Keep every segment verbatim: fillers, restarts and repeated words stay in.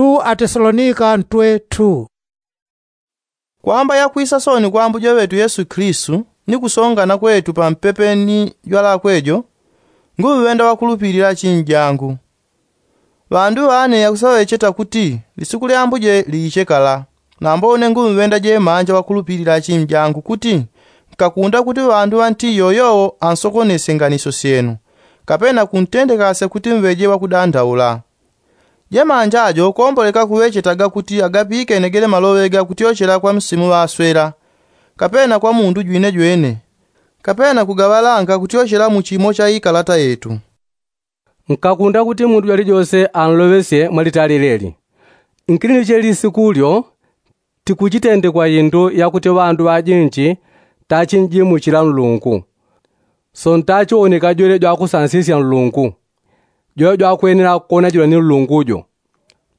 Atesalonika ntwe two. Kwamba yakwisa soni kwa ambuje ŵetu yesu kilistu ni kusongana kwetu pampepe ni jwalakwe jo, nguŵenda wakulupilila achinjangu. Ŵandu ŵane yakusaŵecheta kuti lisuku lya ambuje liiche kala. Nambo une nguŵenda jemanja wakulupilila achinjangu kuti nkakunda kuti ŵandu ŵanti yoyowo ansokonesye nganisyo syenu, kapena kuntendekasya kuti mŵeje wakudandaula. Jemanja jo komboleka kuŵechetaga kuti agapikene gele maloŵe gakutyochela kwa msimu ŵaswela, kapena kwa mundu jwinejwene, kapena kugaŵalanga kutyochela mu chimo cha ikalata yetu. Nkakunda kuti mundu jwalijose anloŵesye mwalitali leli. Nkili ni cheli sikulyo tikuchitendekwa indu yakuti ŵandu ŵajinji tachinjimuchila nlungu. So ntachiwoneka jwele jwakusansisya nlungu, jwele jwakwenela kukonajilwa ni nlungu jo.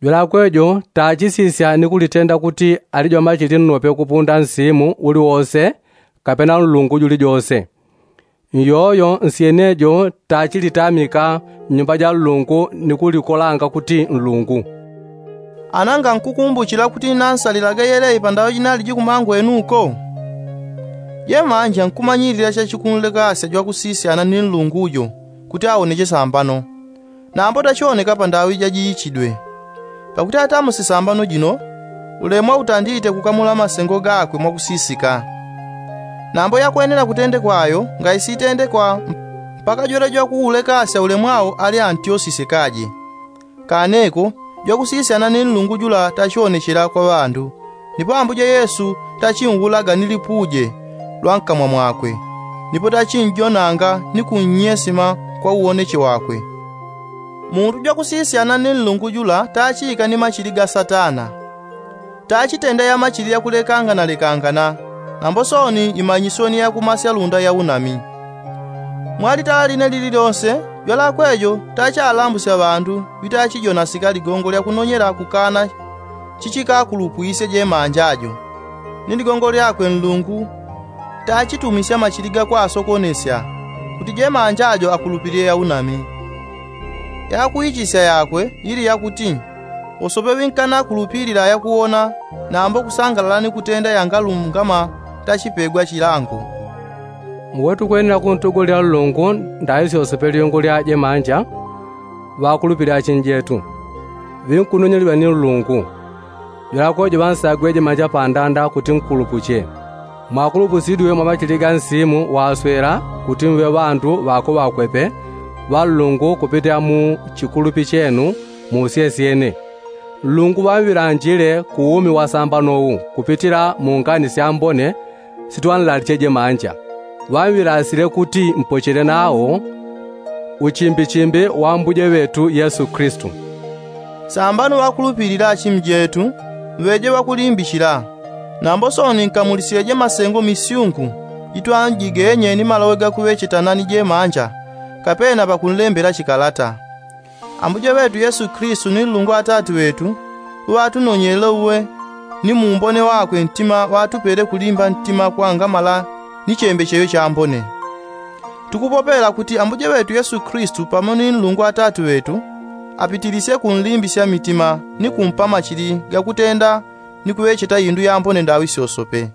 Jwelakwe jo tachisisya ni kulitenda kuti ali jwamachili nnope kupunda nsimu uliwose, kapena nlungu julijose. Nyoyo nsyenejo tachilitamika mnyumba ja nlungu ni kulikolanga kuti nlungu. Ana ngankukumbuchila kuti nansalilaga yelei pandaŵa jinaliji kumangwenu uko. Jemanja nkumanyilila chachikunlekasya jwakusisyana ni nlungu jo kuti awoneche sambano, nambo tachioneka pandaŵa ijajiichidwe. Pakuti atamusi sambano jino, ulemwa utandite kukamula masengo gakwe mwakusisika. Nambo yakwenela kutendekwa ayo ngaisitendekwa mpaka jwele jwakuulekasya ulemwao ali antyosisye kaje. Kaneko jwakusisyana ni nlungu jula tachionechela kwa ŵandu, nipo ambuje yesu tachinwulaga ni lipuje lwa nkamwa mwakwe, nipo tachinjonanga ni kunnyesima kwa uwoneche wakwe. Mundu jwakusisyana ni nlungu jula tachika ni machili ga satana. Tachitenda yamachili yakulekanganalekangana, nambo soni imanyisyo ni yakumasya lunda ya unami. Mwalitala line lili lyonse jwalakwe jo tachalambusya ŵandu ŵitachijonasika ligongo lyakunonyela kukana chichikakulupwisye jemanja jo. Ni ligongo lyakwe nlungu tachitumisya machili gakwasokonesya kuti jemanja jo akulupilile ya unami. Yakuichisya yakwe ili yakuti wosope ŵinkanakulupilila yakuwona nambo kusangalala ni kutenda yangalungama tachipegwa chilango. Uwe tukwenela kuntugulilela nlungu ndaŵi syosope lyungu lya jemanja. Ŵakulupilila achinjetu ŵinkunonyelilwa ni nlungu. Jwelakwe jo ŵansagwe jemanja pandanda kuti nkulupuche. Mwakulupusidwe mwa machili ga nsimu waswela kuti muŵe ŵandu ŵakwe ŵakwepe ŵa nlungu kupitila mu chikulupi chenu mu usyesyene. Nlungu ŵamŵilanjile ku umi wasambano wu kupitila mu ngani syambone sitwanlaliche jemanja. Ŵamŵilasile kuti mpochele nawo uchimbichimbi wa ambuje ŵetu yesu kilistu. Sambano ŵakulupilila achimjetu mŵeje ŵakulimbichila. Nambo soni nkamulisyeje masengo misyungu itwanjigenye ni maloŵe gakuŵechetana ni jemanja, kapena pakunlembela chikalata. Ambuje ŵetu yesu kilistu ni nlungu atati ŵetu uŵatunonyelele uwe ni muumbone wakwe ntima ŵatupele kulimba ntima kwangamala ni chembecheyo chambone. Tukupopela kuti ambuje ŵetu yesu kilistu pamo ni nlungu atati ŵetu apitilisye kunlimbisya mitima ni kumpa machili gakutenda ni kuŵecheta indu yambone ndaŵi syosope.